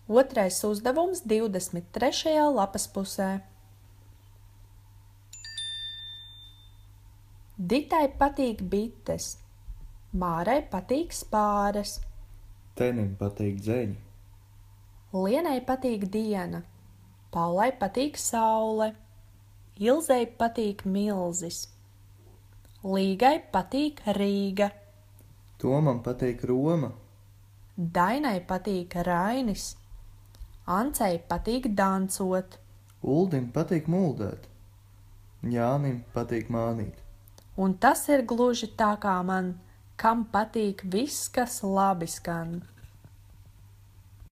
Otrais uzdevums 23. lapas pusē. Ditai patīk bites, Mārai patīk spāres, Tenim patīk dzeņi, Lienai patīk diena, Paulai patīk saule, Ilzei patīk milzis, Līgai patīk Rīga, Tomam patīk Roma, Dainai patīk Rainis, Ancei patīk dancot, Uldim patīk muldēt, Jānim patīk mānīt. un tas ir gluži tā kā man, kam patīk viss, kas labi skan.